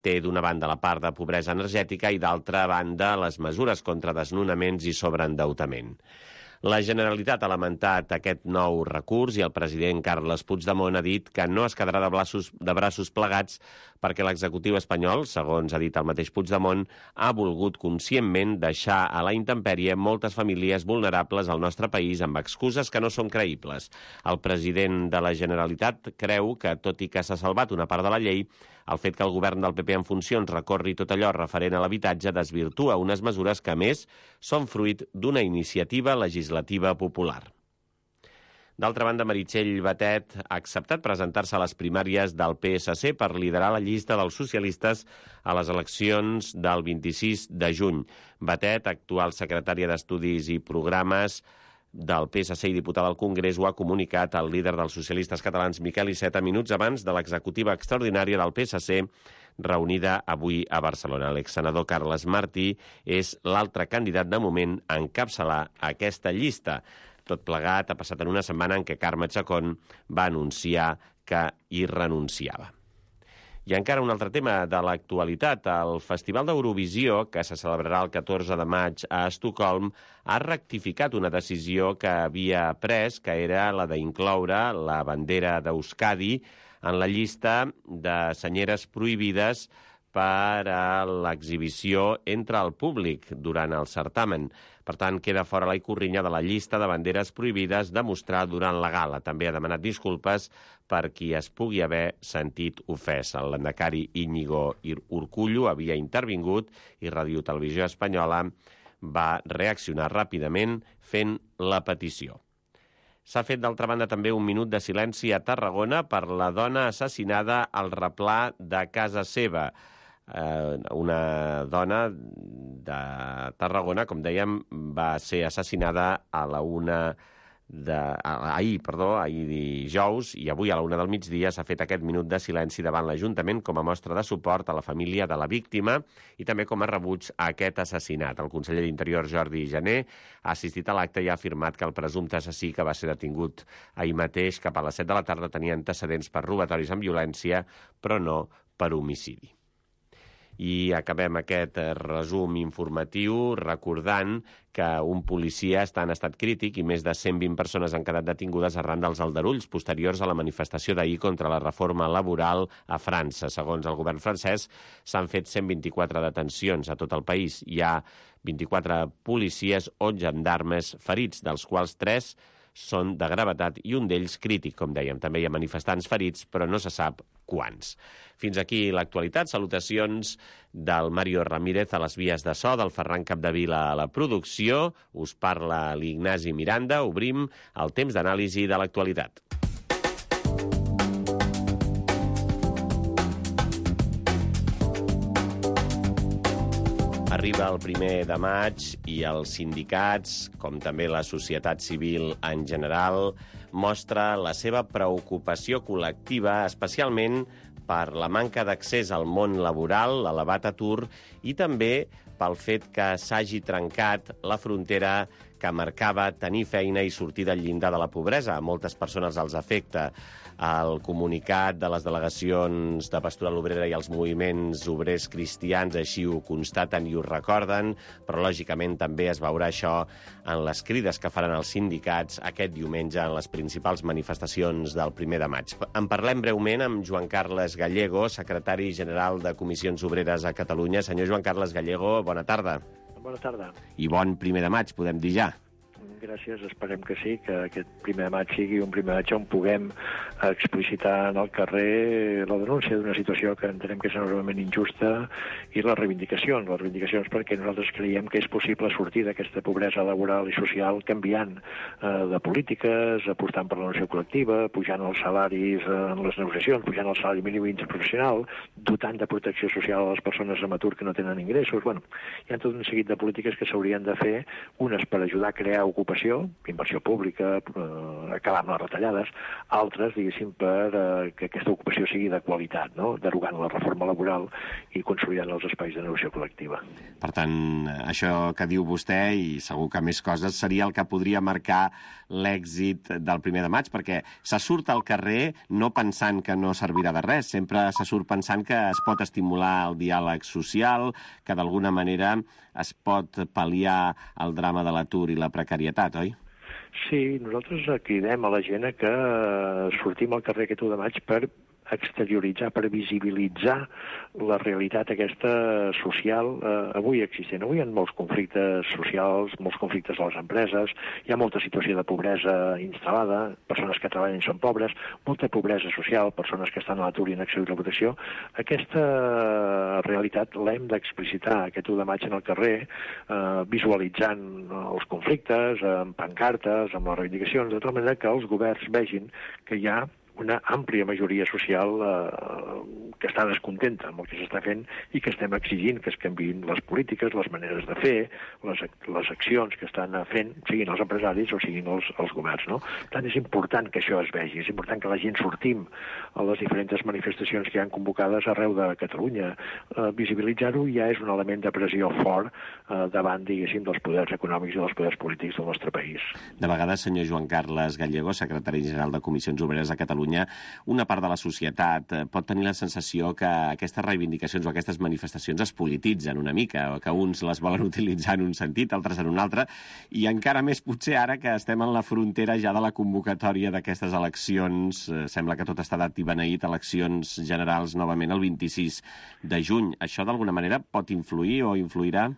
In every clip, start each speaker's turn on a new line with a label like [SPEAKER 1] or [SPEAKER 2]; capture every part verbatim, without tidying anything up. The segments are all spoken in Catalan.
[SPEAKER 1] té d'una banda la part de pobresa energètica i d'altra banda les mesures contra desnonaments i sobreendeutament. La Generalitat ha lamentat aquest nou recurs i el president Carles Puigdemont ha dit que no es quedarà de braços, de braços plegats perquè l'executiu espanyol, segons ha dit el mateix Puigdemont, ha volgut conscientment deixar a la intempèrie moltes famílies vulnerables al nostre país amb excuses que no són creïbles. El president de la Generalitat creu que, tot i que s'ha salvat una part de la llei, el fet que el govern del P P en funcions recorri tot allò referent a l'habitatge desvirtua unes mesures que, a més, són fruit d'una iniciativa legislativa popular. D'altra banda, Meritxell Batet ha acceptat presentar-se a les primàries del P S C per liderar la llista dels socialistes a les eleccions del vint-i-sis de juny. Batet, actual secretària d'Estudis i Programes del P S C i diputada al Congrés, ho ha comunicat al líder dels socialistes catalans, Miquel Iceta, minuts abans de l'executiva extraordinària del P S C reunida avui a Barcelona. L'exsenador Carles Martí és l'altre candidat de moment a encapçalar aquesta llista. Tot plegat ha passat en una setmana en què Carme Chacón va anunciar que hi renunciava. I encara un altre tema de l'actualitat. El Festival d'Eurovisió, que se celebrarà el catorze de maig a Estocolm, ha rectificat una decisió que havia pres, que era la d'incloure la bandera d'Euskadi en la llista de senyeres prohibides per a l'exhibició entre el públic durant el certamen. Per tant, queda fora la ikurriña de la llista de banderes prohibides de mostrar durant la gala. També ha demanat disculpes per qui es pugui haver sentit ofès. El lehendakari Íñigo Urkullu havia intervingut i Ràdio Televisió Espanyola va reaccionar ràpidament fent la petició. S'ha fet, d'altra banda, també un minut de silenci a Tarragona per la dona assassinada al replà de casa seva. Eh, una dona de Tarragona, com dèiem, va ser assassinada a la una de, ahir, perdó, ahir dijous, i avui a la una del migdia s'ha fet aquest minut de silenci davant l'Ajuntament com a mostra de suport a la família de la víctima i també com a rebuig a aquest assassinat. El conseller d'Interior, Jordi Jané, ha assistit a l'acte i ha afirmat que el presumpte assassí, que va ser detingut ahir mateix cap a les set de la tarda, tenia antecedents per robatoris amb violència, però no per homicidi. I acabem aquest resum informatiu recordant que un policia està en estat crític i més de cent vint persones han quedat detingudes arran dels aldarulls posteriors a la manifestació d'ahir contra la reforma laboral a França. Segons el govern francès, s'han fet cent vint-i-quatre detencions a tot el país. Hi ha vint-i-quatre policies o gendarmes ferits, dels quals tres són de gravetat i un d'ells crític, com dèiem. També hi ha manifestants ferits, però no se sap quants. Fins aquí l'actualitat. Salutacions del Mario Ramírez a les vies de so, del Ferran Capdevila a la producció. Us parla l'Ignasi Miranda. Obrim el temps d'anàlisi de l'actualitat. Arriba el primer de maig i els sindicats, com també la societat civil en general, mostra la seva preocupació col·lectiva, especialment per la manca d'accés al món laboral, l'elevat atur i també pel fet que s'hagi trencat la frontera que marcava tenir feina i sortir del llindar de la pobresa. A moltes persones els afecta. El comunicat de les delegacions de Pastoral Obrera i els moviments obrers cristians així ho constaten i ho recorden, però lògicament també es veurà això en les crides que faran els sindicats aquest diumenge en les principals manifestacions del primer de maig. En parlem breument amb Joan Carles Gallego, secretari general de Comissions Obreres a Catalunya. Senyor Joan Carles Gallego, bona tarda.
[SPEAKER 2] Bona tarda.
[SPEAKER 1] I bon primer de maig, podem dir ja.
[SPEAKER 2] Gràcies, esperem que sí, que aquest primer de maig sigui un primer de maig on puguem explicitar en el carrer la denúncia d'una situació que entenem que és enormement injusta i les reivindicacions, les reivindicacions perquè nosaltres creiem que és possible sortir d'aquesta pobresa laboral i social canviant eh, de polítiques, apostant per la negociació col·lectiva, pujant els salaris en les negociacions, pujant el salari mínim interprofessional, dotant de protecció social a les persones amb atur que no tenen ingressos. Bueno, hi ha tot un seguit de polítiques que s'haurien de fer, unes per ajudar a crear ocupació ocupació, inversió pública, eh, acabar amb les retallades, altres, diguéssim, per eh, que aquesta ocupació sigui de qualitat, no? Derogant la reforma laboral i consolidant els espais de negociació col·lectiva.
[SPEAKER 1] Per tant, això que diu vostè, i segur que més coses, seria el que podria marcar l'èxit del primer de maig, perquè se surt al carrer no pensant que no servirà de res, sempre se surt pensant que es pot estimular el diàleg social, que d'alguna manera es pot pal·liar el drama de l'atur i la precarietat, oi?
[SPEAKER 2] Sí, nosaltres cridem a la gent a que sortim al carrer aquest u de maig per exterioritzar, per visibilitzar la realitat aquesta social eh, avui existent. Avui hi ha molts conflictes socials, molts conflictes a les empreses, hi ha molta situació de pobresa instal·lada, persones que treballen i són pobres, molta pobresa social, persones que estan a l'atur i en acció de protecció. Aquesta realitat l'hem d'explicitar aquest u de maig en el carrer, eh, visualitzant els conflictes, amb pancartes, amb les reivindicacions, de tal manera que els governs vegin que hi ha una àmplia majoria social eh, que està descontenta amb el que s'està fent i que estem exigint que es canviïn les polítiques, les maneres de fer, les, les accions que estan fent, siguin els empresaris o siguin els, els governs, no? Per tant, és important que això es vegi, és important que la gent sortim a les diferents manifestacions que hi han convocades arreu de Catalunya. Eh, visibilitzar-ho ja és un element de pressió fort eh, davant, diguéssim, dels poders econòmics i dels poders polítics del nostre país.
[SPEAKER 1] De vegades, senyor Joan Carles Gallego, secretari general de Comissions Obreres a Catalunya, una part de la societat pot tenir la sensació que aquestes reivindicacions o aquestes manifestacions es polititzen una mica, o que uns les volen utilitzar en un sentit, altres en un altre, i encara més potser ara que estem en la frontera ja de la convocatòria d'aquestes eleccions. Sembla que tot està dat i beneït, eleccions generals novament el vint-i-sis de juny. Això d'alguna manera pot influir o influirà?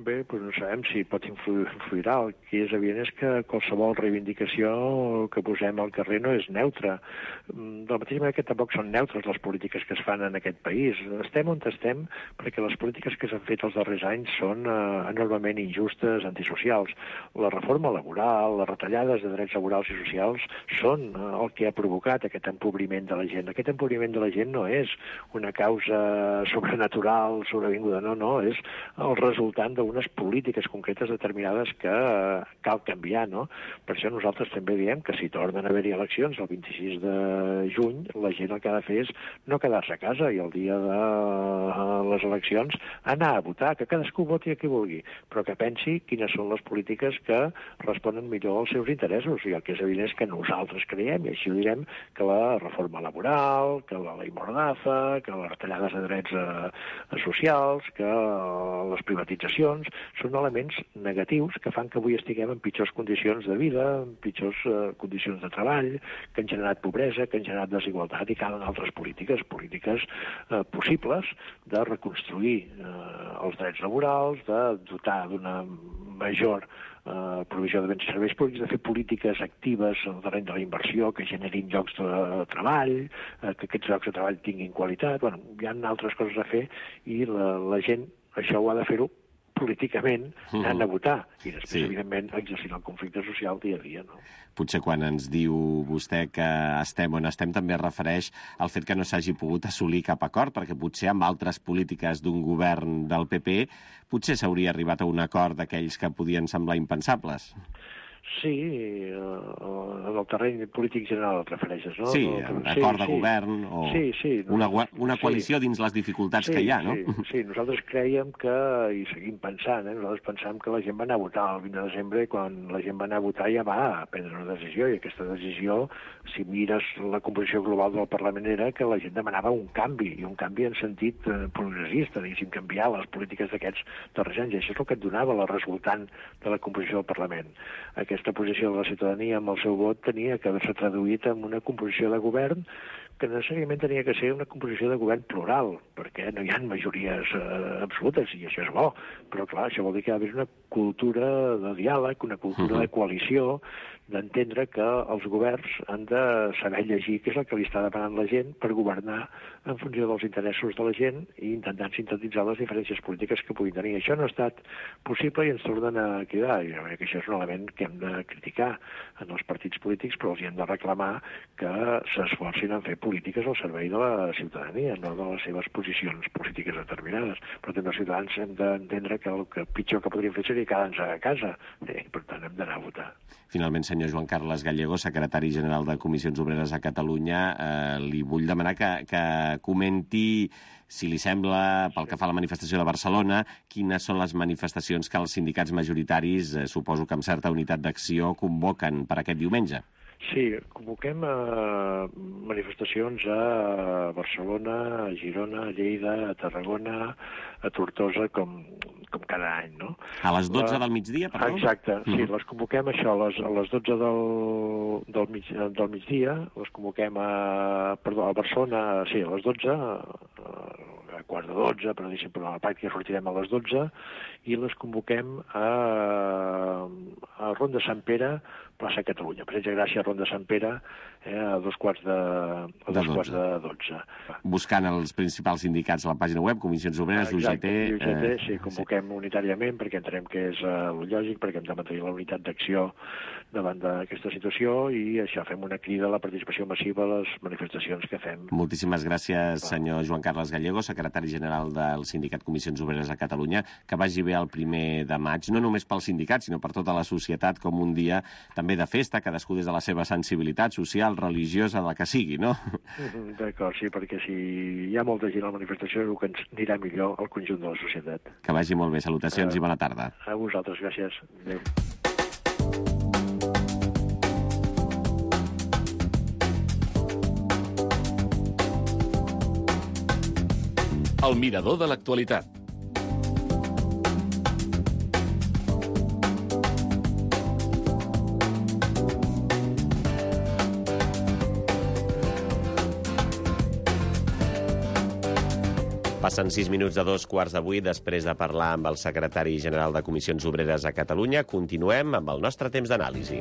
[SPEAKER 2] Bé, doncs no sabem si pot influir, influirà. El que és evident és que qualsevol reivindicació que posem al carrer no és neutra. De la mateixa manera que tampoc són neutres les polítiques que es fan en aquest país. Estem on estem perquè les polítiques que s'han fet els darrers anys són eh, enormement injustes, antisocials. La reforma laboral, les retallades de drets laborals i socials són eh, el que ha provocat aquest empobriment de la gent. Aquest empobriment de la gent no és una causa sobrenatural, sobrevinguda, no, no, és el resultant de unes polítiques concretes determinades que eh, cal canviar, no? Per això nosaltres també diem que si tornen a haver-hi eleccions el vint-i-sis de juny, la gent el que ha de fer és no quedar-se a casa i el dia de les eleccions anar a votar, que cadascú voti a qui vulgui, però que pensi quines són les polítiques que responen millor als seus interessos. I el que és evident és que nosaltres creiem, i així ho direm, que la reforma laboral, que la llei Mordaza, que les retallades de drets eh, socials, que les privatitzacions són elements negatius que fan que avui estiguem en pitjors condicions de vida, en pitjors eh, condicions de treball, que han generat pobresa, que han generat desigualtat, i calen altres polítiques, polítiques eh, possibles de reconstruir eh, els drets laborals, de dotar d'una major eh, provisió de béns i serveis públics, de fer polítiques actives en el terreny de la inversió que generin llocs de treball, eh, que aquests llocs de treball tinguin qualitat. Bueno, hi ha altres coses a fer i la, la gent això ho ha de fer-ho políticament, anant a votar, i després, sí, evidentment, exercint el conflicte social dia a dia, no?
[SPEAKER 1] Potser quan ens diu vostè que estem on estem també es refereix al fet que no s'hagi pogut assolir cap acord, perquè potser amb altres polítiques d'un govern del P P potser s'hauria arribat a un acord d'aquells que podien semblar impensables.
[SPEAKER 2] Sí, en el terreny polític general et refereixes, no?
[SPEAKER 1] Sí,
[SPEAKER 2] no,
[SPEAKER 1] acord
[SPEAKER 2] sí,
[SPEAKER 1] de
[SPEAKER 2] sí.
[SPEAKER 1] govern o
[SPEAKER 2] sí, sí,
[SPEAKER 1] una, una coalició sí. Dins les dificultats
[SPEAKER 2] sí,
[SPEAKER 1] que hi ha, no?
[SPEAKER 2] Sí, sí, nosaltres creiem que, i seguim pensant, eh, nosaltres pensam que la gent va anar a votar el vint de desembre i quan la gent va anar a votar ja va prendre una decisió, i aquesta decisió, si mires la composició global del Parlament, era que la gent demanava un canvi, i un canvi en sentit eh, progressista, diguéssim, canviar les polítiques d'aquests darrers anys, i això és el que et donava la resultant de la composició del Parlament. Aquesta posició de la ciutadania amb el seu vot tenia que haver-se traduït en una composició de govern que necessàriament tenia que ser una composició de govern plural, perquè no hi ha majories eh, absolutes, i això és bo, però clar, això vol dir que hi ha d'haver una cultura de diàleg, una cultura uh-huh. de coalició, d'entendre que els governs han de saber llegir què és el que li està demanant la gent per governar en funció dels interessos de la gent i intentant sintetitzar les diferències polítiques que puguin tenir. Això no ha estat possible i ens tornen a cridar. I jo crec que això és un element que hem de criticar en els partits polítics, però els hi hem de reclamar que s'esforcin en fer polítiques polítiques al servei de la ciutadania, no de les seves posicions polítiques determinades. Però també els ciutadans hem d'entendre que el que pitjor que podríem fer seria quedar-nos a casa. Eh, per tant, hem d'anar a votar.
[SPEAKER 1] Finalment, senyor Joan Carles Gallego, secretari general de Comissions Obreres a Catalunya, eh, li vull demanar que, que comenti, si li sembla, pel que fa a la manifestació de Barcelona, quines són les manifestacions que els sindicats majoritaris, eh, suposo que amb certa unitat d'acció, convoquen per aquest diumenge.
[SPEAKER 2] Sí, convoquem eh, manifestacions a Barcelona, a Girona, a Lleida, a Tarragona, a Tortosa, com, com cada any, no?
[SPEAKER 1] A les dotze la... del migdia, perdó?
[SPEAKER 2] Exacte, sí, mm-hmm. les convoquem això, a les, a les dotze del, del, mig, del migdia, les convoquem a, perdó, a Barcelona, sí, a les dotze, a, a quart de dotze, però sempre a la pràctica sortirem a les dotze, i les convoquem a, a Ronda Sant Pere, plaça Catalunya. Passeig de Gràcia, Ronda Sant Pere, eh, a dos quarts de, a dos quarts de dotze.
[SPEAKER 1] Buscant els principals sindicats a la pàgina web, Comissions Obreres, U G T...
[SPEAKER 2] U G T, eh, sí, convoquem sí. unitàriament, perquè entenem que és uh, el lògic, perquè hem de mantenir la unitat d'acció davant d'aquesta situació, i això, fem una crida a la participació massiva a les manifestacions que fem.
[SPEAKER 1] Moltíssimes gràcies, senyor Joan Carles Gallego, secretari general del Sindicat Comissions Obreres a Catalunya. Que vagi bé el primer de maig, no només pel sindicat, sinó per tota la societat, com un dia també de festa, cadascú des de la seva sensibilitat social, religiosa, la que sigui, no?
[SPEAKER 2] D'acord, sí, perquè si hi ha molta gent a la manifestació, el que ens anirà millor al conjunt de la societat.
[SPEAKER 1] Que vagi molt bé. Salutacions uh, i bona tarda.
[SPEAKER 2] A vosaltres, gràcies. Adéu.
[SPEAKER 3] El mirador de l'actualitat.
[SPEAKER 1] Passen sis minuts de dos quarts de vuit després de parlar amb el secretari general de Comissions Obreres a Catalunya. Continuem amb el nostre temps d'anàlisi.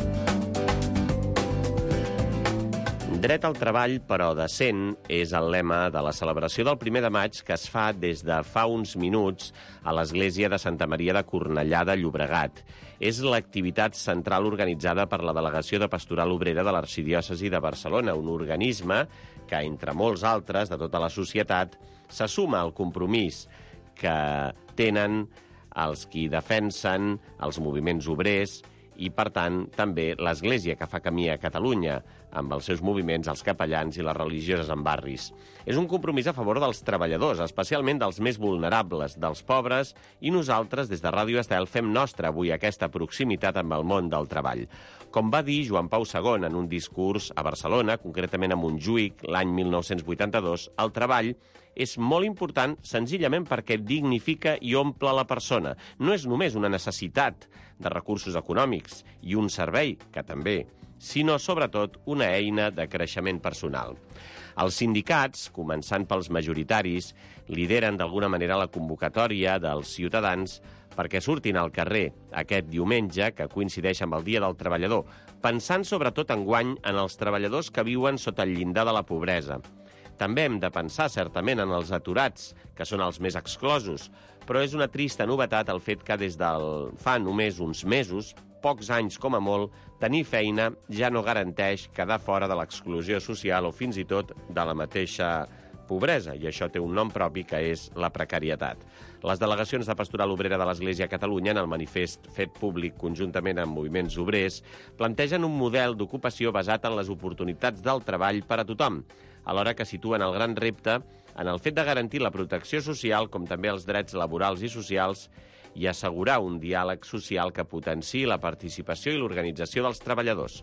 [SPEAKER 1] Dret al treball, però decent, és el lema de la celebració del primer de maig que es fa des de fa uns minuts a l'església de Santa Maria de Cornellà de Llobregat. És l'activitat central organitzada per la Delegació de Pastoral Obrera de l'Arxidiòcesi de Barcelona, un organisme que, entre molts altres de tota la societat, se suma al compromís que tenen els qui defensen els moviments obrers i, per tant, també l'Església que fa camí a Catalunya, amb els seus moviments, els capellans i les religioses en barris. És un compromís a favor dels treballadors, especialment dels més vulnerables, dels pobres, i nosaltres, des de Ràdio Estel, fem nostra avui aquesta proximitat amb el món del treball. Com va dir Joan Pau segon en un discurs a Barcelona, concretament a Montjuïc, l'any mil nou-cents vuitanta-dos, el treball és molt important senzillament perquè dignifica i omple la persona. No és només una necessitat de recursos econòmics i un servei, que també, sinó, sobretot, una eina de creixement personal. Els sindicats, començant pels majoritaris, lideren d'alguna manera la convocatòria dels ciutadans perquè surtin al carrer aquest diumenge, que coincideix amb el Dia del Treballador, pensant sobretot enguany en els treballadors que viuen sota el llindar de la pobresa. També hem de pensar, certament, en els aturats, que són els més exclosos, però és una trista novetat el fet que des del fa només uns mesos, pocs anys com a molt, tenir feina ja no garanteix quedar fora de l'exclusió social o fins i tot de la mateixa pobresa, i això té un nom propi que és la precarietat. Les delegacions de Pastoral Obrera de l'Església a Catalunya, en el manifest fet públic conjuntament amb moviments obrers, plantegen un model d'ocupació basat en les oportunitats del treball per a tothom, alhora que situen el gran repte en el fet de garantir la protecció social com també els drets laborals i socials i assegurar un diàleg social que potenciï la participació i l'organització dels treballadors.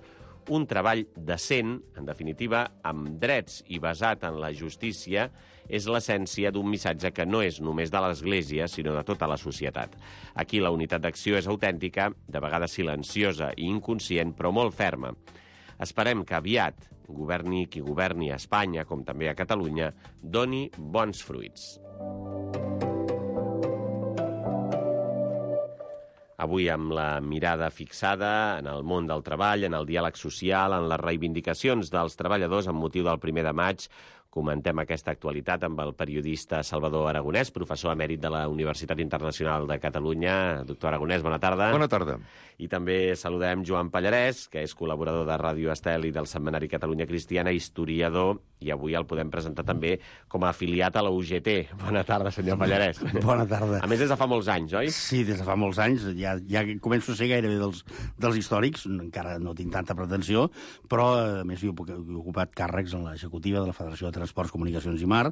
[SPEAKER 1] Un treball decent, en definitiva, amb drets i basat en la justícia, és l'essència d'un missatge que no és només de l'Església, sinó de tota la societat. Aquí la unitat d'acció és autèntica, de vegades silenciosa i inconscient, però molt ferma. Esperem que aviat, governi qui governi a Espanya, com també a Catalunya, doni bons fruits. Avui amb la mirada fixada en el món del treball, en el diàleg social, en les reivindicacions dels treballadors amb motiu del primer de maig, comentem aquesta actualitat amb el periodista Salvador Aragonès, professor emèrit de la Universitat Internacional de Catalunya. Doctor Aragonès, bona tarda.
[SPEAKER 4] Bona tarda.
[SPEAKER 1] I també saludem Joan Pallarès, que és col·laborador de Ràdio Estel i del setmanari Catalunya Cristiana, historiador, i avui el podem presentar també com a afiliat a la U G T. Bona tarda, senyor Pallarès.
[SPEAKER 5] Bona tarda.
[SPEAKER 1] A més, des de fa molts anys, oi?
[SPEAKER 5] Sí, des de fa molts anys. Ja, ja començo a ser gairebé dels, dels històrics. Encara no tinc tanta pretensió, però, a més, jo he ocupat càrrecs en l'executiva de la Federació de Transports, Comunicacions i Mar,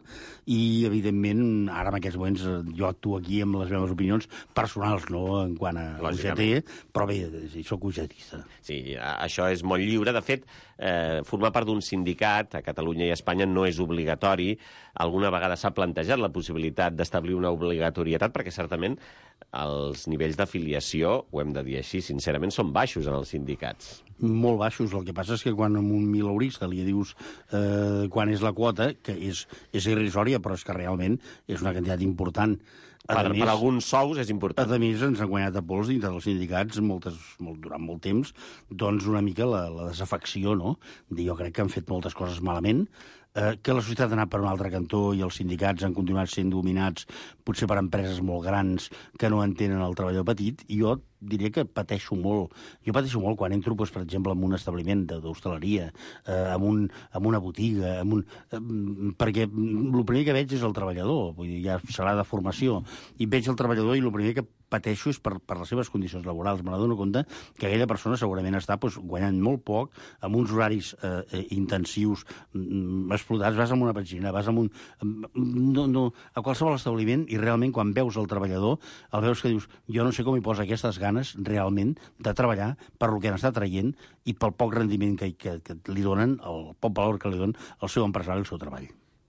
[SPEAKER 5] i, evidentment, ara en aquests moments jo actuo aquí amb les meves opinions personals, no en quant a U G T, però bé, soc ugetista.
[SPEAKER 1] Sí, això és molt lliure. De fet, eh, formar part d'un sindicat a Catalunya i a Espanya no és obligatori. Alguna vegada s'ha plantejat la possibilitat d'establir una obligatorietat, perquè certament els nivells d'afiliació, ho hem de dir així, sincerament, són baixos en els sindicats.
[SPEAKER 5] Molt baixos. El que passa és que quan a un mileurista li dius eh, quan és la quota, que és, és irrisòria, però és que realment és una quantitat important.
[SPEAKER 1] Per, més, per alguns sous és important.
[SPEAKER 5] A més, ens han guanyat a pols dintre dels sindicats moltes, molt, durant molt temps, doncs una mica la, la desafecció, no? Jo crec que han fet moltes coses malament, eh, que la societat ha anat per un altre cantó i els sindicats han continuat sent dominats potser per empreses molt grans que no entenen el treballador petit, i jo diria que pateixo molt. Jo pateixo molt quan entro, doncs, per exemple, en un establiment d'hostaleria, eh, en, un, en una botiga, en un, eh, perquè el primer que veig és el treballador, vull dir, ja serà de formació, i veig el treballador i el primer que pateixo és per, per les seves condicions laborals. Me n'adono compte que aquella persona segurament està doncs, guanyant molt poc, amb uns horaris eh, intensius, mm, explotats, vas amb una petxina, vas amb un... No, no, a qualsevol establiment, i realment quan veus el treballador, el veus que dius, jo no sé com hi posa aquestes ganes realment de treballar per lo que n'està traient i pel poc rendiment que, que, que li donen, el poc valor que li donen el seu empresari, el seu treball.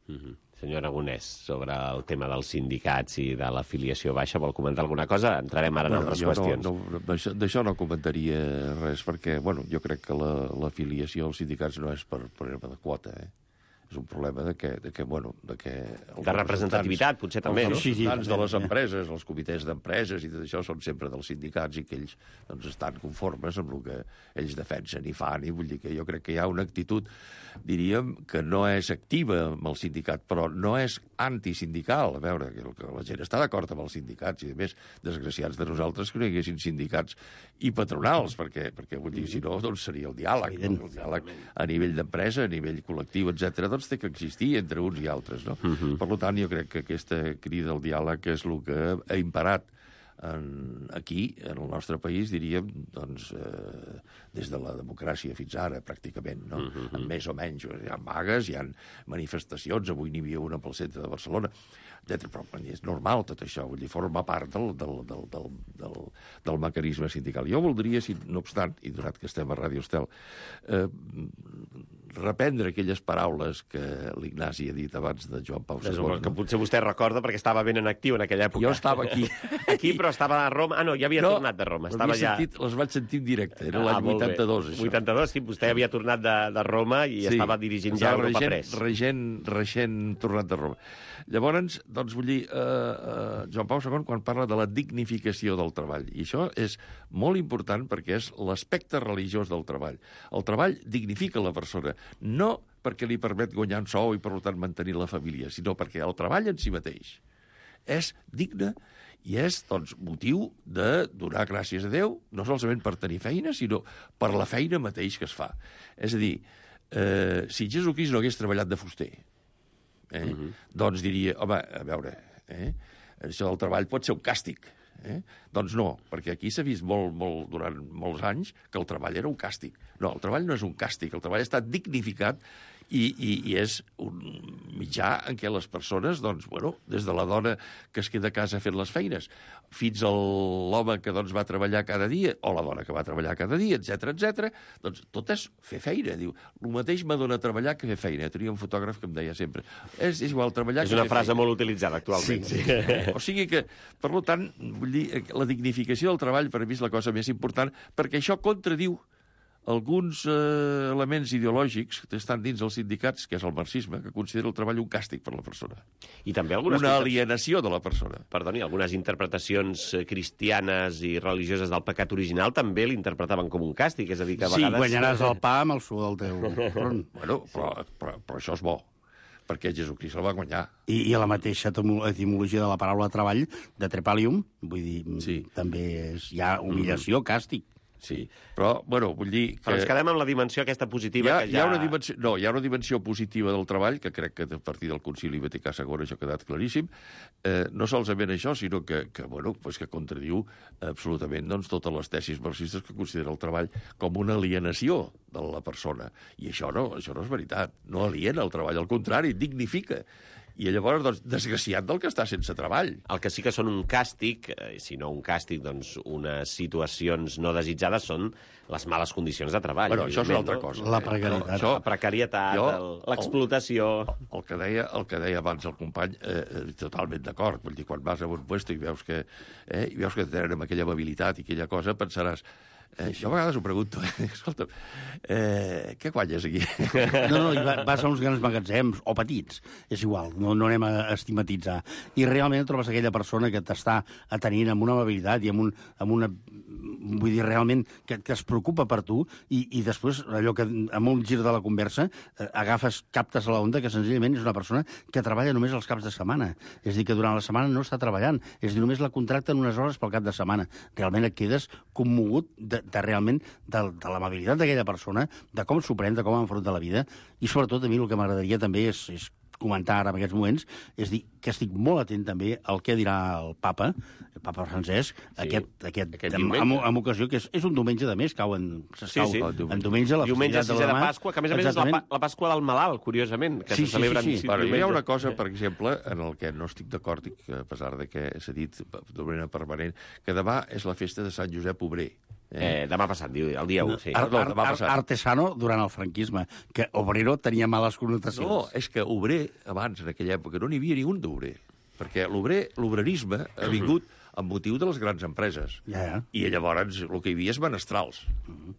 [SPEAKER 1] Mm-hmm. Senyor Aragonès, sobre el tema dels sindicats i de l'afiliació baixa, vol comentar alguna cosa? Entrarem ara en
[SPEAKER 4] bueno,
[SPEAKER 1] altres qüestions.
[SPEAKER 4] No, no, d'això no comentaria res, perquè bueno, jo crec que l'afiliació als sindicats no és per problema de quota, eh? És un problema de que, de que bueno... De, que
[SPEAKER 1] de representativitat, potser també,
[SPEAKER 4] els
[SPEAKER 1] no?
[SPEAKER 4] Els representants de les empreses, els comitès d'empreses i tot això són sempre dels sindicats i que ells doncs, estan conformes amb el que ells defensen i fan, i vull dir que jo crec que hi ha una actitud, diríem, que no és activa amb el sindicat, però no és antisindical. A veure, que la gent està d'acord amb els sindicats i, a més, desgraciats de nosaltres que no hi haguessin sindicats i patronals, perquè, perquè vull dir, si no, doncs seria el diàleg, no? El diàleg a nivell d'empresa, a nivell col·lectiu, etcètera, doncs té que existir entre uns i altres, no? Uh-huh. Per tant, jo crec que aquesta crida al diàleg és el que ha imparat en, aquí, en el nostre país, diríem, doncs, eh, des de la democràcia fins ara, pràcticament, no? Uh-huh. En més o menys. Hi ha vagues, hi ha manifestacions, avui n'hi havia una pel centre de Barcelona, etcètera. Però és normal tot això, vull dir, forma part del, del, del, del, del, del mecanisme sindical. Jo voldria, si, no obstant, i donat que estem a Ràdio Estel, eh, reprendre aquelles paraules que l'Ignasi ha dit abans de Joan Pau segon.
[SPEAKER 1] Que potser vostè recorda perquè estava ben en actiu en aquella època.
[SPEAKER 4] Jo estava aquí.
[SPEAKER 1] Aquí, però estava a Roma. Ah, no, ja havia no, tornat de Roma. Estava ja...
[SPEAKER 4] sentit, les vaig sentir en directe, era l'any ah, vuitanta-dos, això.
[SPEAKER 1] vuitanta-dos, sí, vostè havia tornat de, de Roma i sí, estava dirigint ja Europa Press.
[SPEAKER 4] Regent, regent tornat de Roma. Llavors, doncs, vull dir, eh, eh, Joan Pau segon, quan parla de la dignificació del treball, i això és molt important perquè és l'aspecte religiós del treball. El treball dignifica la persona, no perquè li permet guanyar un sou i, per tant, mantenir la família, sinó perquè el treball en si mateix és digne i és, doncs, motiu de donar gràcies a Déu, no solament per tenir feina, sinó per la feina mateix que es fa. És a dir, eh, si Jesucrist no hagués treballat de fuster, eh, uh-huh. doncs diria, home, a veure, eh, això del treball pot ser un càstig. Eh? Doncs no, perquè aquí s'ha vist molt, molt, durant molts anys que el treball era un càstig. No, el treball no és un càstig, el treball està dignificat i, i, i és un mitjà en què les persones, doncs, bueno, des de la dona que es queda a casa fent les feines, fins a l'home que doncs, va treballar cada dia, o la dona que va treballar cada dia, etcètera, etcètera, doncs tot és fer feina. Diu, el mateix m'adona treballar que fer feina. Tenia un fotògraf que em deia sempre, és, és igual treballar
[SPEAKER 1] és
[SPEAKER 4] que fer feina.
[SPEAKER 1] És una frase molt utilitzada actualment.
[SPEAKER 4] Sí, sí. O sigui que, per tant, vull dir, la dignificació del treball per mi és la cosa més important, perquè això contradiu alguns eh, elements ideològics que estan dins els sindicats, que és el marxisme, que considera el treball un càstig per la persona.
[SPEAKER 1] I també algunes
[SPEAKER 4] una alienació de la persona.
[SPEAKER 1] Perdoni, algunes interpretacions cristianes i religioses del pecat original també l'interpretaven com un càstig, és a dir, que a
[SPEAKER 5] sí,
[SPEAKER 1] vegades...
[SPEAKER 5] Sí, guanyaràs el pa amb el sud del teu front.
[SPEAKER 4] Bueno, però, però, però això és bo. perquè Jesucrist el va guanyar.
[SPEAKER 5] I, i la mateixa etimologia de la paraula treball, de trepalium, vull dir, sí. també és, hi ha humillació, mm. càstig.
[SPEAKER 4] Sí, però, bueno, vull dir que...
[SPEAKER 1] Però ens quedem amb la dimensió aquesta positiva
[SPEAKER 4] hi ha,
[SPEAKER 1] que ja...
[SPEAKER 4] Hi ha una dimensió, no, hi ha una dimensió positiva del treball, que crec que a partir del Concili Vaticà segon això ha quedat claríssim. Eh, no solament això, sinó que, que, bueno, pues que contradiu absolutament doncs, totes les tesis marxistes que considera el treball com una alienació de la persona. I això no, això no és veritat. No aliena el treball, al contrari, dignifica. I llavors, doncs, desgraciat del que està sense treball.
[SPEAKER 1] El que sí que són un càstig, eh, si no un càstig, doncs unes situacions no desitjades són les males condicions de treball.
[SPEAKER 4] Bueno, això és una altra
[SPEAKER 1] no?
[SPEAKER 4] cosa.
[SPEAKER 5] La precarietat.
[SPEAKER 1] Això, la precarietat, l'explotació...
[SPEAKER 4] El, el, que deia, el que deia abans el company, eh, totalment d'acord. Vull dir, quan vas a un puesto i veus que, eh, i veus que tenen aquella amabilitat i aquella cosa, pensaràs... Eh, jo a vegades ho pregunto, eh? Escolta, eh, què guanyes aquí?
[SPEAKER 5] No, no, i vas a uns grans magatzems, o petits, és igual, no, no anem a estigmatitzar. I realment trobes aquella persona que t'està atenint amb una amabilitat i amb, un, amb una... Vull dir, realment, que, que es preocupa per tu i, i després, allò que amb un gir de la conversa, eh, agafes, captes a l'onda que senzillament és una persona que treballa només els caps de setmana. És a dir, que durant la setmana no està treballant. És a dir, només la contracten unes hores pel cap de setmana. Realment et quedes commogut de, de realment de, de l'amabilitat d'aquella persona, de com s'ho pren, de com enfronta la vida, i sobretot a mi el que m'agradaria també és, és comentar ara en aquests moments, és dir que estic molt atent també al que dirà el papa, el papa Francesc, sí, aquest, aquest, aquest amb, amb, amb ocasió, que és, és un diumenge de mes, cau en,
[SPEAKER 1] sí, sí.
[SPEAKER 5] en diumenge, la
[SPEAKER 1] diumenge
[SPEAKER 5] festivitat
[SPEAKER 1] de,
[SPEAKER 5] de la
[SPEAKER 1] Pasqua, que a més a més és la, la Pasqua del malalt, curiosament, que
[SPEAKER 5] sí,
[SPEAKER 1] se celebra
[SPEAKER 5] sí, sí, sí.
[SPEAKER 4] Bueno, hi ha una cosa, per exemple, en el que no estic d'acord, i que a pesar de que s'ha dit de manera permanent, que demà és la festa de Sant Josep Obrer.
[SPEAKER 1] Eh, eh, demà passat, diu, el dia u, sí.
[SPEAKER 5] Ar, ar, ar, artesano durant el franquisme, que obrero tenia males connotacions.
[SPEAKER 4] No, és que obrer, abans, en aquella època, no n'hi havia ni un d'obrer. Perquè l'obrer, l'obrerisme ha vingut amb motiu de les grans empreses.
[SPEAKER 5] Ja, ja.
[SPEAKER 4] I llavors el que hi havia és menestrals.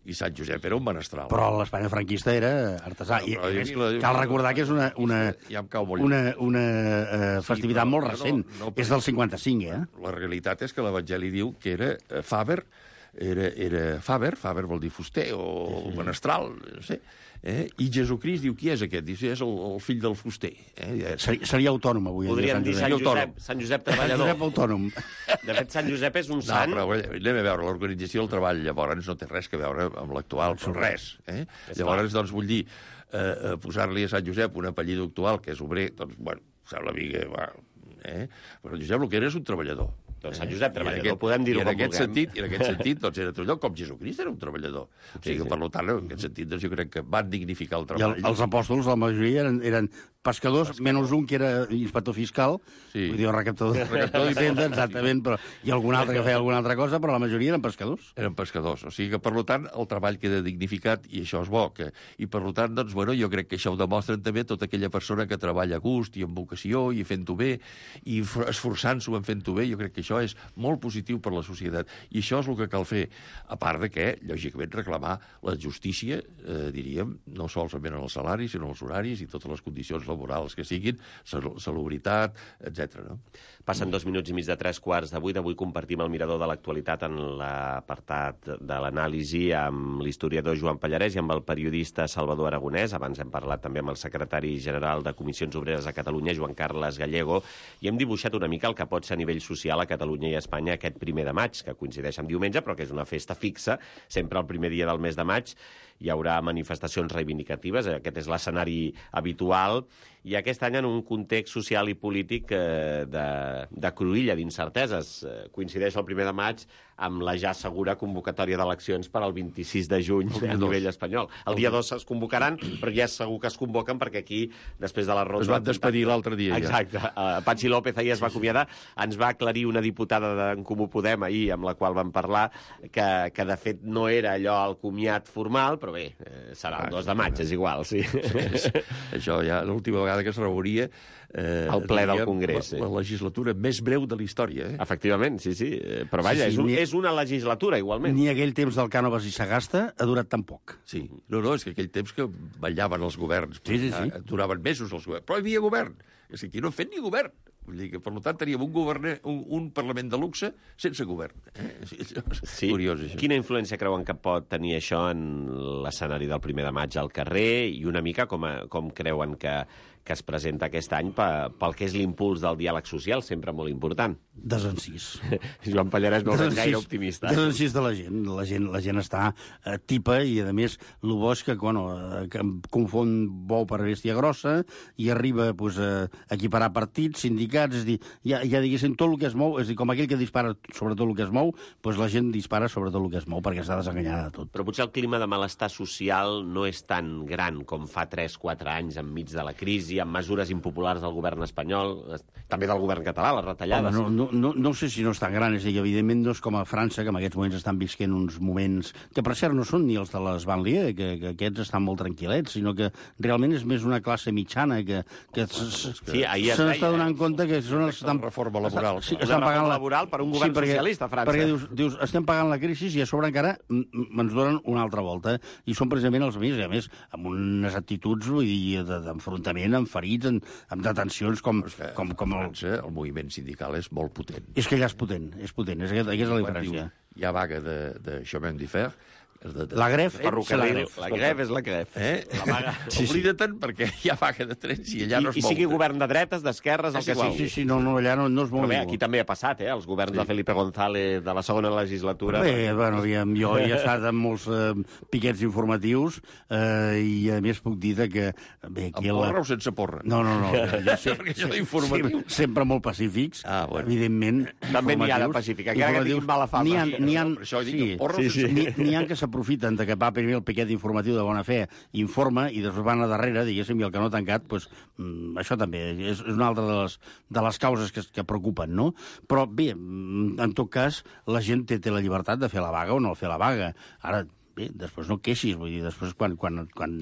[SPEAKER 4] I Sant Josep era un menestral.
[SPEAKER 5] Però l'Espanya franquista era artesà. I,
[SPEAKER 4] no,
[SPEAKER 5] és,
[SPEAKER 4] la,
[SPEAKER 5] cal recordar que és una, una,
[SPEAKER 4] ja em cau molt
[SPEAKER 5] una, una uh, festivitat sí, molt recent. No, no, és del cinquanta-cinc, eh?
[SPEAKER 4] La realitat és que l'Evangeli diu que era uh, Faber, era, era Faber, Faber vol dir fuster o sí, sí. menestral, no sé, eh? I Jesucrist diu, qui és aquest? Diu, és el, el fill del fuster. Eh?
[SPEAKER 5] Seria, seria autònom, avui.
[SPEAKER 1] Podríem dir Sant Josep, Sant Josep treballador.
[SPEAKER 5] Sant Josep autònom.
[SPEAKER 1] De fet, Sant Josep és un sant...
[SPEAKER 4] No, però anem a veure, l'organització del treball llavors no té res que veure amb l'actual, però res. Eh? Llavors, doncs, vull dir, eh, posar-li a Sant Josep un apellido actual, que és obrer, doncs, bueno, sembla a mi que... Va, eh? Però Josep el que era és un treballador.
[SPEAKER 1] Doncs Sant Josep treballador,
[SPEAKER 4] aquest,
[SPEAKER 1] podem dir-ho
[SPEAKER 4] com
[SPEAKER 1] vulguem.
[SPEAKER 4] Sentit, I en aquest sentit, doncs, era tot allò, com Jesucrist era un treballador. O sigui, sí, sí. Per tant, en aquest sentit, doncs, jo crec que van dignificar el treball.
[SPEAKER 5] I el, els apòstols, la majoria, eren, eren pescadors, Pescador. menys un que era inspector fiscal, sí. vull dir, recaptador, recaptador d'Hisenda, exactament, però, i algun altre que feia alguna altra cosa, però la majoria eren pescadors.
[SPEAKER 4] Eren pescadors, o sigui que, per tant, el treball queda dignificat i això és bo. Que, I, per tant, doncs, bueno, jo crec que això ho demostren també tota aquella persona que treballa a gust i amb vocació i fent-ho bé i esforçant-s'ho en fent-ho bé, jo crec que això és molt positiu per la societat. I això és el que cal fer, a part de que, lògicament, reclamar la justícia, eh, diríem, no solament en els salaris, sinó en els horaris i totes les condicions laborals que siguin, salubritat, etcètera. No?
[SPEAKER 1] Passen dos minuts i mig de tres quarts de vuit. Avui compartim el mirador de l'actualitat en l'apartat de l'anàlisi amb l'historiador Joan Pallarès i amb el periodista Salvador Aragonès. Abans hem parlat també amb el secretari general de Comissions Obreres a Catalunya, Joan Carles Gallego, i hem dibuixat una mica el que pot ser a nivell social a Catalunya i a Espanya aquest primer de maig, que coincideix amb diumenge, però que és una festa fixa, sempre el primer dia del mes de maig. Hi haurà manifestacions reivindicatives, aquest és l'escenari habitual, i aquest any en un context social i polític eh, de, de cruïlla, d'incerteses. Eh, coincideix el primer de maig amb la ja segura convocatòria d'eleccions per al vint-i-sis de juny a nivell espanyol. El dia dos es convocaran, però ja és segur que es convoquen perquè aquí, després de la ronda...
[SPEAKER 4] Es van despedir l'altre dia, ja.
[SPEAKER 1] Exacte. Uh, Patxi López ahir es va acomiadar. Ens va aclarir una diputada d'en Comú Podem ahir, amb la qual vam parlar, que, que de fet no era allò el comiat formal, però bé, eh, serà el dos de maig, és igual, sí.
[SPEAKER 4] sí. Això ja l'última vegada que es reuria...
[SPEAKER 1] Eh, el ple del Congrés.
[SPEAKER 4] La, la legislatura més breu de la història. Eh?
[SPEAKER 1] Efectivament, sí, sí. Però vaja, sí, sí, és, un, és una legislatura, igualment.
[SPEAKER 5] Ni aquell temps del Cànovas i Sagasta ha durat tan poc.
[SPEAKER 4] Sí. No, no, és que aquell temps que ballaven els governs.
[SPEAKER 5] Sí, sí, sí.
[SPEAKER 4] Duraven mesos els governs. Però hi havia govern. És que aquí no han fet ni govern. Vull dir que, per tant, teníem un, govern, un, un Parlament de luxe sense govern. Eh?
[SPEAKER 1] Sí.
[SPEAKER 4] Curiós, això.
[SPEAKER 1] Quina influència creuen que pot tenir això en l'escenari del primer de maig al carrer i una mica com, a, com creuen que, que es presenta aquest any pel que és l'impuls del diàleg social, sempre molt important.
[SPEAKER 5] Desencís.
[SPEAKER 1] Joan Pallarès no és gaire optimista.
[SPEAKER 5] Desencís de la gent. La gent, la gent està eh, tipa i, a més, el bo és que, bueno, eh, que confon bou per bèstia grossa i arriba pues, a equiparar partits, sindicats, és dir, ja, ja diguéssim, tot el que es mou, és dir, com aquell que dispara sobre tot el que es mou, pues la gent dispara sobre tot el que es mou perquè està desenganyada de tot.
[SPEAKER 1] Però potser el clima de malestar social no és tan gran com fa tres quatre anys enmig de la crisi, amb mesures impopulars del govern espanyol, també del govern català, les retallades.
[SPEAKER 5] Home, no, no, no, no sé si no és tan gran, és a dir, evidentment no és com a França, que en aquests moments estan visquent uns moments que, per cert, no són ni els de les banlieues, que, que aquests estan molt tranquil·lets, sinó que realment és més una classe mitjana que, que
[SPEAKER 1] sí, ahir
[SPEAKER 5] se n'està donant compte que són els...
[SPEAKER 4] Estan... reforma laboral.
[SPEAKER 5] Sí, estan
[SPEAKER 1] una
[SPEAKER 5] pagant
[SPEAKER 1] reforma laboral per un govern
[SPEAKER 5] sí, perquè,
[SPEAKER 1] socialista a França.
[SPEAKER 5] Perquè dius, dius, estem pagant la crisi i a sobre encara ens donen una altra volta. I són precisament els més, a més, amb unes actituds d'enfrontament, amb ferits, amb detencions com... com, com el...
[SPEAKER 4] França, el moviment sindical és molt potent.
[SPEAKER 5] És que allà és potent, és potent, és, aquesta és la diferència.
[SPEAKER 4] Diu, hi ha vaga de, de chemin de fer. De, de,
[SPEAKER 5] la gref,
[SPEAKER 1] de ferrocarril. La gref és la gref.
[SPEAKER 4] Eh? La vaga. Sí, sí. Oblida-te'n perquè hi ha vaga de trens i allà
[SPEAKER 1] I,
[SPEAKER 4] no es
[SPEAKER 1] I
[SPEAKER 4] mou.
[SPEAKER 1] sigui govern de dretes, d'esquerres, el que sigui.
[SPEAKER 5] Sí, sí, no, no, allà no, no es mou.
[SPEAKER 1] Però bé, aquí també ha passat, eh? Els governs sí. de Felipe González de la segona legislatura.
[SPEAKER 5] Bé, bueno, jo he estat en molts eh, piquets informatius eh, i a més puc dir que... Bé,
[SPEAKER 4] amb porra la... o sense porra?
[SPEAKER 5] No, no, no.
[SPEAKER 4] Ja sé, perquè això d'informatius...
[SPEAKER 5] Sí, sempre molt pacífics,
[SPEAKER 4] ah, bueno.
[SPEAKER 5] evidentment.
[SPEAKER 1] També n'hi ha de pacífics, encara que tinguin mala fama.
[SPEAKER 5] N'hi ha, n'hi ha,
[SPEAKER 4] això dic,
[SPEAKER 5] sí,
[SPEAKER 4] porra
[SPEAKER 5] sí,
[SPEAKER 4] o sense
[SPEAKER 5] sí. N'hi ha que s'aprofiten de que va primer el piquet informatiu de bona fe, informa, i després van a darrere, diguéssim, i el que no ha tancat, doncs, això també és una altra de les, de les causes que, que preocupen, no? Però, bé, en tot cas, la gent té, té la llibertat de fer la vaga o no fer la vaga. Ara, bé, després no et queixis, vull dir, després quan, quan, quan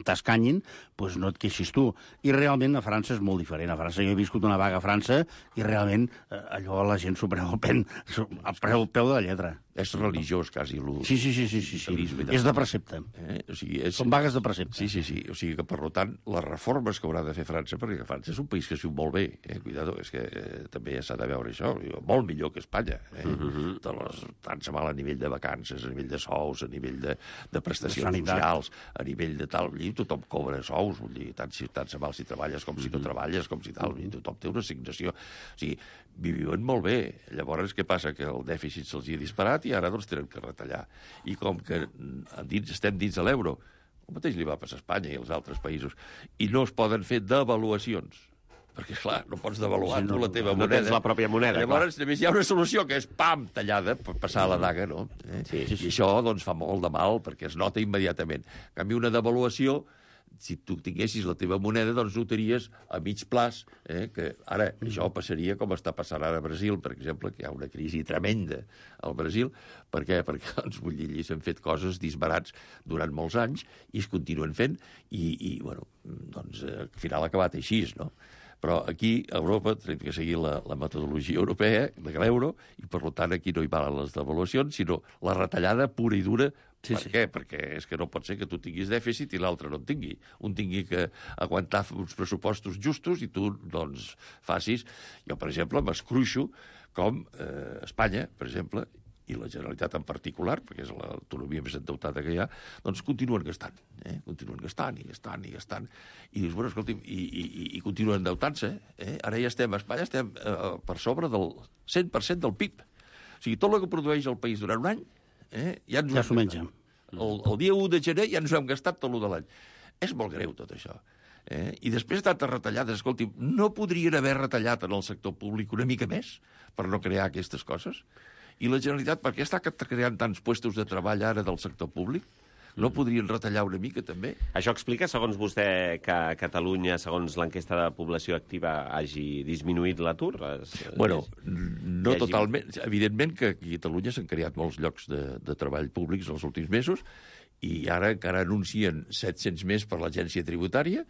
[SPEAKER 5] t'escanyin, doncs no et queixis tu. I realment a França és molt diferent. A França jo he viscut una vaga a França i realment eh, allò la gent s'ho pren al pen, al peu de la lletra.
[SPEAKER 4] És religiós, quasi.
[SPEAKER 5] Sí, sí, sí, sí, sí, sí. És de precepte.
[SPEAKER 4] Eh? O sigui, és...
[SPEAKER 5] Són vagues de precepte.
[SPEAKER 4] Sí, sí, sí. O sigui que, per tant, les reformes que haurà de fer França, perquè França és un país que es viu molt bé, eh? Cuidado, és que eh, també s'ha de veure això, molt millor que Espanya. Eh? Uh -huh. de les, tant se val a nivell de vacances, a nivell de sous, a nivell de, de prestacions de socials, a nivell de tal, i tothom cobra sous, vull dir, tant, si, tant se val si treballes com si no treballes, com si tal, i tothom té una assignació. O sigui, viuen molt bé. Llavors, què passa? Que el dèficit se'ls hi ha disparat i ara doncs tenen que retallar. I com que dins, estem dins de l'euro, el mateix li va passar a Espanya i als altres països, i no es poden fer devaluacions, perquè, clar, no pots devaluar sí, no, tu la teva
[SPEAKER 1] no
[SPEAKER 4] moneda.
[SPEAKER 1] No tens la pròpia moneda,
[SPEAKER 4] Llavors,
[SPEAKER 1] clar.
[SPEAKER 4] només hi ha una solució, que és, pam, tallada, per passar la daga, no? Eh?
[SPEAKER 1] Sí, sí, sí.
[SPEAKER 4] I això, doncs, fa molt de mal, perquè es nota immediatament. En canvi, una devaluació, si tu tinguessis la teva moneda, doncs notaries a mig plaç, eh, que ara això passaria com està passant ara a Brasil, per exemple, que hi ha una crisi tremenda al Brasil. Per què? Perquè, doncs, vull dir, allí s'han fet coses disbarats durant molts anys i es continuen fent i, i bueno, doncs, al final ha acabat així, no? Però aquí, a Europa, tenim que seguir la, la metodologia europea de l'euro i, per tant, aquí no hi valen les devaluacions, sinó la retallada pura i dura. Sí, per sí. què? Perquè és que no pot ser que tu tinguis dèficit i l'altre no en tingui. Un tingui que aguantar uns pressupostos justos i tu, doncs, facis... Jo, per exemple, m'escruixo com eh, Espanya, per exemple, i la Generalitat en particular, perquè és l'autonomia més endeutada que hi ha, doncs continuen gastant, eh? continuen gastant i gastant i gastant, i dius, bueno, escolti'm, i, i, i continuen endeutant-se, eh? Ara ja estem, a Espanya estem eh, per sobre del cent per cent del P I B. O sigui, tot el que produeix el país durant un any, eh? ja ens
[SPEAKER 5] ja s'ho menja.
[SPEAKER 4] El, el dia u de gener ja ens ho hem gastat tot el de l'any. És molt greu tot això. Eh? I després de tantes retallades, escolti'm, no podrien haver retallat en el sector públic una mica més per no crear aquestes coses? I la Generalitat, per què està creant tants puestos de treball ara del sector públic? No podrien retallar una mica, també?
[SPEAKER 1] Això explica, segons vostè, que a Catalunya, segons l'enquesta de població activa, hagi disminuït l'atur?
[SPEAKER 4] Bueno, no totalment. Evidentment que a Catalunya s'han creat molts llocs de, de treball públics els últims mesos i ara encara anuncien set-cents més per l'agència tributària.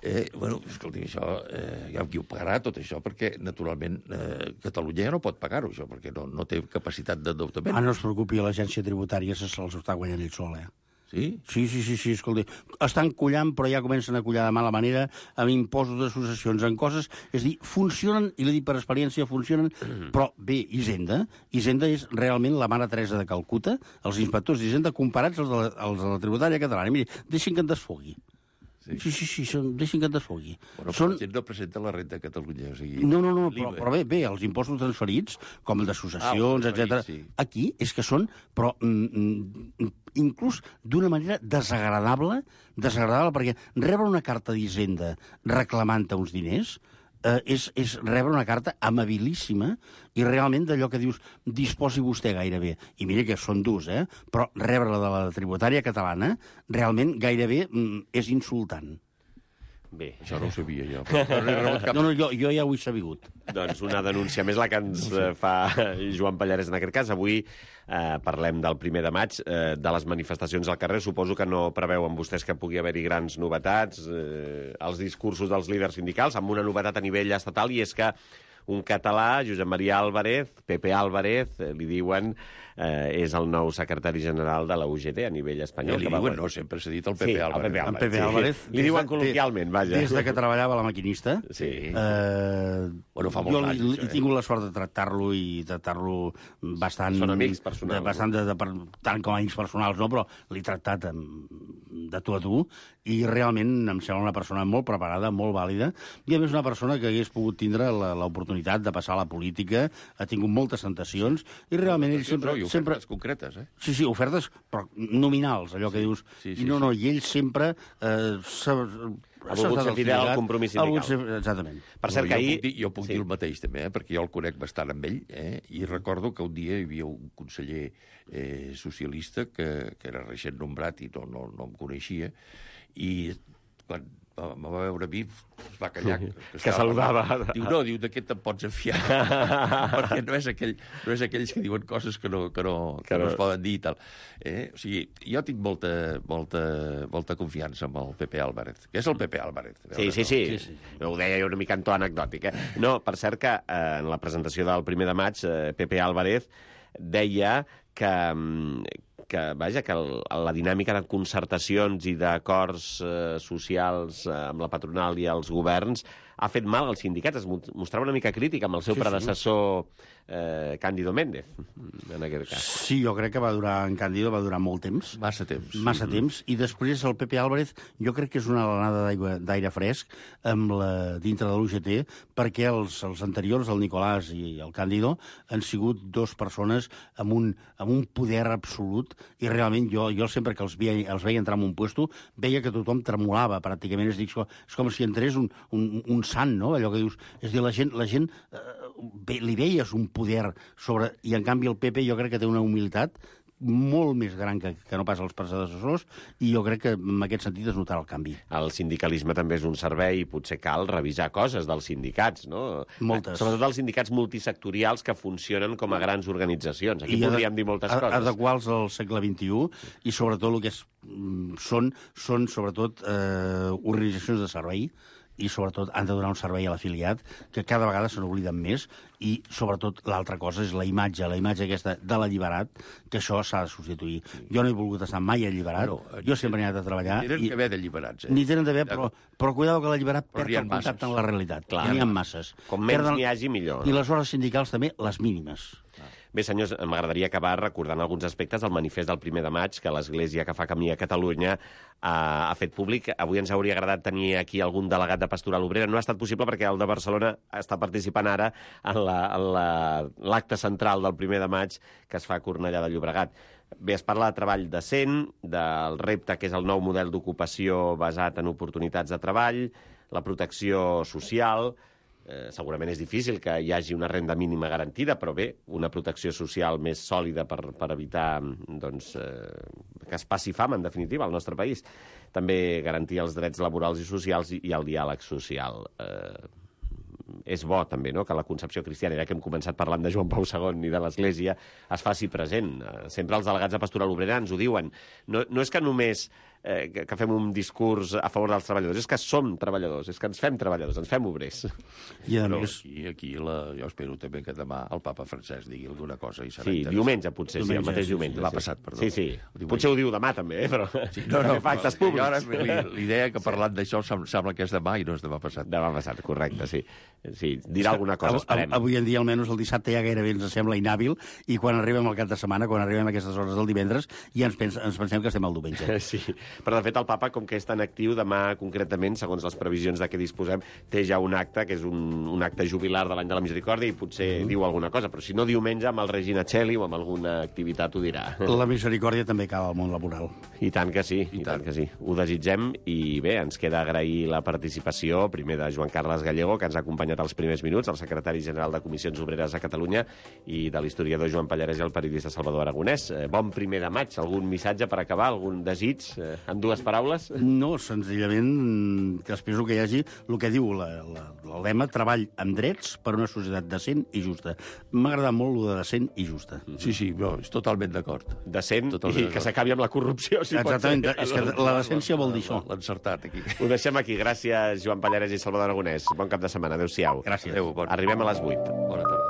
[SPEAKER 4] Eh, bueno, escolti, això, eh, ja qui ho pagarà, tot això, perquè, naturalment, eh, Catalunya ja no pot pagar-ho, això, perquè no, no té capacitat d'endeutament.
[SPEAKER 5] Ah, no es preocupi, l'agència tributària se'ls està guanyant ell sol, eh?
[SPEAKER 4] Sí?
[SPEAKER 5] Sí, sí, sí, sí, escolti. Estan collant, però ja comencen a collar de mala manera, amb impostos d'associacions, en coses... És a dir, funcionen, i l'he dit per experiència, funcionen, però bé, Hisenda, Hisenda és realment la mare Teresa de Calcuta, els inspectors d'Hisenda comparats als de la, als de la tributària catalana. Miri, deixin que en desfogui. Sí, sí, sí, sí són, deixin que et desfogui.
[SPEAKER 4] Bueno,
[SPEAKER 5] són...
[SPEAKER 4] la gent no presenta la renda a Catalunya. O sigui,
[SPEAKER 5] No, no, no, però, però bé, bé, els impostos transferits, com el d'associacions,
[SPEAKER 4] Ah,
[SPEAKER 5] etcètera,
[SPEAKER 4] sí.
[SPEAKER 5] aquí és que són, però mm, inclús d'una manera desagradable, desagradable, perquè rebre una carta d'Hisenda reclamant-te uns diners eh, és, és rebre una carta amabilíssima i realment d'allò que dius disposi vostè gairebé. I mira que són durs, eh? Però rebre-la de la tributària catalana realment gairebé mm, és insultant.
[SPEAKER 1] Bé,
[SPEAKER 4] Això no ho sabia jo. Però no he rebut cap...
[SPEAKER 5] No, no, jo, jo ja ho he sabigut.
[SPEAKER 1] doncs una denúncia més la que ens eh, fa Joan Pallarès en aquest cas. Avui eh, parlem del primer de maig, eh, de les manifestacions al carrer. Suposo que no preveuen vostès que pugui haver-hi grans novetats, eh, els discursos dels líders sindicals, amb una novetat a nivell estatal, i és que un català, Josep Maria Álvarez, Pepe Álvarez, eh, li diuen, eh, és el nou secretari general de la U G T a nivell espanyol.
[SPEAKER 4] Li
[SPEAKER 1] que va
[SPEAKER 4] diuen,
[SPEAKER 1] guanyar.
[SPEAKER 4] no, sempre s'ha dit el Pepe
[SPEAKER 1] Sí, el
[SPEAKER 4] Álvarez.
[SPEAKER 1] Pepe
[SPEAKER 5] En
[SPEAKER 1] Álvarez.
[SPEAKER 5] Pepe
[SPEAKER 1] sí.
[SPEAKER 5] Álvarez...
[SPEAKER 1] Li diuen
[SPEAKER 5] des de-
[SPEAKER 1] col·loquialment, vaja.
[SPEAKER 5] Des de que treballava a la maquinista...
[SPEAKER 1] Sí.
[SPEAKER 5] Eh,
[SPEAKER 4] Bueno, fa molts
[SPEAKER 5] jo
[SPEAKER 4] anys,
[SPEAKER 5] li,
[SPEAKER 4] això,
[SPEAKER 5] he
[SPEAKER 4] eh?
[SPEAKER 5] tingut la sort de tractar-lo i tractar-lo bastant...
[SPEAKER 1] Són amics personals,
[SPEAKER 5] De, bastant de, de, de, tant com a amics personals, no, però l'he tractat amb, de tu a tu i realment em sembla una persona molt preparada, molt vàlida, i a més una persona que hagués pogut tindre la- l'oportunitat de passar a la política, ha tingut moltes tentacions, i realment ell sempre...
[SPEAKER 4] No, i
[SPEAKER 5] sempre
[SPEAKER 4] ofertes concretes, eh?
[SPEAKER 5] Sí, sí, ofertes però nominals, allò que dius.
[SPEAKER 4] sí, sí,
[SPEAKER 5] I no,
[SPEAKER 4] sí.
[SPEAKER 5] no, i ell sempre... Eh, s'ha-
[SPEAKER 1] Ha volgut ser fidel al compromís
[SPEAKER 5] ha volgut
[SPEAKER 1] sindical.
[SPEAKER 5] ser- Exactament.
[SPEAKER 1] Per cert,
[SPEAKER 4] no,
[SPEAKER 1] que
[SPEAKER 4] jo
[SPEAKER 1] ahir...
[SPEAKER 4] Puc dir, jo puc
[SPEAKER 1] Sí.
[SPEAKER 4] dir el mateix, també, eh? Perquè jo el conec bastant amb ell, eh? I recordo que un dia hi havia un conseller eh, socialista que, que era recent nombrat i no, no, no em coneixia, i quan em va veure a mi es va callar.
[SPEAKER 1] Que
[SPEAKER 4] estava
[SPEAKER 1] saludava.
[SPEAKER 4] parlant. Diu, no, diu, d'aquest te'n pots enfiar. Perquè no és, aquell, no és aquells que diuen coses que no, que no, que
[SPEAKER 1] Que
[SPEAKER 4] no
[SPEAKER 1] no-
[SPEAKER 4] es poden dir i tal. Eh? O sigui, jo tinc molta, molta, molta confiança amb el Pepe Álvarez, que és el Pepe Álvarez. A
[SPEAKER 1] Sí,
[SPEAKER 4] veure,
[SPEAKER 1] sí,
[SPEAKER 4] no?
[SPEAKER 1] sí,
[SPEAKER 5] Sí, sí.
[SPEAKER 1] Ho deia jo una mica en to anecdòtic. Eh? No, per cert que eh, en la presentació del primer de maig, eh, Pepe Álvarez deia que, mm, que, vaja, que el, la dinàmica de concertacions i d'acords eh, socials eh, amb la patronal i els governs ha fet mal als sindicats. Es mo- mostrava una mica crític amb el seu
[SPEAKER 5] Sí, sí.
[SPEAKER 1] predecessor eh, Cándido Méndez, en aquest cas.
[SPEAKER 5] Sí, jo crec que va durar, en Cándido va durar molt temps.
[SPEAKER 4] Massa temps.
[SPEAKER 5] Massa temps, i després el Pepe Álvarez jo crec que és una alenada d'aigua- d'aire fresc amb la, dintre de l'U G T, perquè els, els anteriors, el Nicolàs i el Cándido, han sigut dos persones amb un, amb un poder absolut, i realment jo, jo sempre que els veia, els veia entrar en un puesto, veia que tothom tremolava, pràcticament. És, dir, és com si entrés un, un, un sant, no? Allò que dius... És dir, la gent, la gent eh, ve, li veies un poder sobre... I, en canvi, el Pepe jo crec que té una humilitat molt més gran que, que no pas els predecessors, i jo crec que en aquest sentit es notarà el canvi.
[SPEAKER 1] El sindicalisme també és un servei i potser cal revisar coses dels sindicats, no?
[SPEAKER 5] Moltes.
[SPEAKER 1] Sobretot els sindicats multisectorials que funcionen com a grans organitzacions. Aquí
[SPEAKER 5] I
[SPEAKER 1] podríem
[SPEAKER 5] ade-
[SPEAKER 1] dir moltes
[SPEAKER 5] a-
[SPEAKER 1] coses.
[SPEAKER 5] adequar-los al segle vint-i-u, i sobretot el que és, mm, són, són sobretot eh, organitzacions de servei, i sobretot han de donar un servei a l'afiliat, que cada vegada se n'obliden més, i sobretot l'altra cosa és la imatge, la imatge aquesta de l'alliberat, que això s'ha de substituir. Jo no he volgut estar mai alliberat,
[SPEAKER 4] No,
[SPEAKER 5] jo sempre he anat a treballar,
[SPEAKER 4] Tenen
[SPEAKER 5] i
[SPEAKER 4] que haver d'alliberats, eh?
[SPEAKER 5] ni tenen d'haver, però, però cuidado que l'alliberat
[SPEAKER 4] Però
[SPEAKER 5] perd
[SPEAKER 4] n'hi ha
[SPEAKER 5] el contacte
[SPEAKER 4] masses.
[SPEAKER 5] amb la realitat.
[SPEAKER 1] Clar.
[SPEAKER 5] N'hi ha masses.
[SPEAKER 1] Com menys
[SPEAKER 5] Perden-
[SPEAKER 1] n'hi hagi, millor.
[SPEAKER 5] I les hores sindicals també, les mínimes.
[SPEAKER 1] Bé, senyors, m'agradaria acabar recordant alguns aspectes del manifest del primer de maig que l'Església que fa camí a Catalunya ha, ha fet públic. Avui ens hauria agradat tenir aquí algun delegat de Pastoral Obrera. No ha estat possible perquè el de Barcelona està participant ara en la- en la- l'acte central del primer de maig que es fa a Cornellà de Llobregat. Bé, es parla de treball decent, del repte que és el nou model d'ocupació basat en oportunitats de treball, la protecció social. Eh, segurament és difícil que hi hagi una renda mínima garantida, però bé, una protecció social més sòlida per, per evitar doncs, eh, que es passi fam, en definitiva, al nostre país. També garantir els drets laborals i socials i, i el diàleg social. Eh, és bo, també, no?, que la concepció cristiana, ja que hem començat parlant de Joan Pau segon i de l'Església, es faci present. Eh, sempre els delegats de Pastoral Obrera ens ho diuen. No, no és que només eh, que, que fem un discurs a favor dels treballadors, és que som treballadors, és que ens fem treballadors, ens fem obrers.
[SPEAKER 5] I a
[SPEAKER 4] Però
[SPEAKER 5] més...
[SPEAKER 4] aquí, aquí la, jo espero també que demà el papa Francesc digui alguna cosa i serà
[SPEAKER 1] Sí,
[SPEAKER 4] interessant.
[SPEAKER 1] diumenge, potser, sí, el
[SPEAKER 5] Diumenge,
[SPEAKER 1] mateix
[SPEAKER 5] sí,
[SPEAKER 1] diumenge.
[SPEAKER 4] sí, l'ha
[SPEAKER 1] sí.
[SPEAKER 4] passat, perdó.
[SPEAKER 1] Sí, sí.
[SPEAKER 4] Diumenge.
[SPEAKER 1] Potser ho diu demà, també, eh? Però...
[SPEAKER 4] Sí, no, no,
[SPEAKER 1] fa actes
[SPEAKER 4] però jo ara
[SPEAKER 1] públics.
[SPEAKER 4] li- l'idea que parlant d'això sem- sembla que és demà i no és demà passat.
[SPEAKER 1] Demà passat, correcte, sí. Sí, dirà alguna cosa, esperem.
[SPEAKER 5] Avui en dia, almenys el dissabte, ja gairebé ens sembla inhàbil, i quan arribem al cap de setmana, quan arribem a aquestes hores del divendres, ja ens, pensa, ens pensem que estem al diumenge.
[SPEAKER 1] Sí, però de fet el papa, com que és tan actiu, demà concretament, segons les previsions de què disposem, té ja un acte, que és un, un acte jubilar de l'any de la Misericòrdia, i potser mm. diu alguna cosa, però si no diumenge, amb el Regina Coeli o amb alguna activitat ho dirà.
[SPEAKER 5] La Misericòrdia també acaba al món laboral.
[SPEAKER 1] I tant que sí, i, I tant. tant que sí. Ho desitgem, i bé, ens queda agrair la participació, primer de Joan Carles Gallego, que ens ha acompanyat als primers minuts, el secretari general de Comissions Obreres a Catalunya, i de l'historiador Joan Pallarès i el periodista Salvador Aragonès. Eh, bon primer de maig. Algun missatge per acabar? Algun desig? Eh, en dues paraules?
[SPEAKER 5] No, senzillament que expresso que hi hagi el que diu la, la, el lema treball amb drets per una societat decent i justa. M'ha agradat molt el de decent i justa.
[SPEAKER 4] Sí, sí, no, és totalment d'acord.
[SPEAKER 1] Decent totalment i que s'acabi amb la corrupció, si
[SPEAKER 5] Exactament,
[SPEAKER 1] pot ser.
[SPEAKER 5] És que la decència vol dir això.
[SPEAKER 4] L'encertat, aquí.
[SPEAKER 1] Ho deixem aquí. Gràcies, Joan Pallarès i Salvador Aragonès. Bon cap de setmana. Adéu-siau.
[SPEAKER 5] Gràcies.
[SPEAKER 4] Adéu, bon.
[SPEAKER 1] Arribem a les vuit.
[SPEAKER 4] Bona tarda.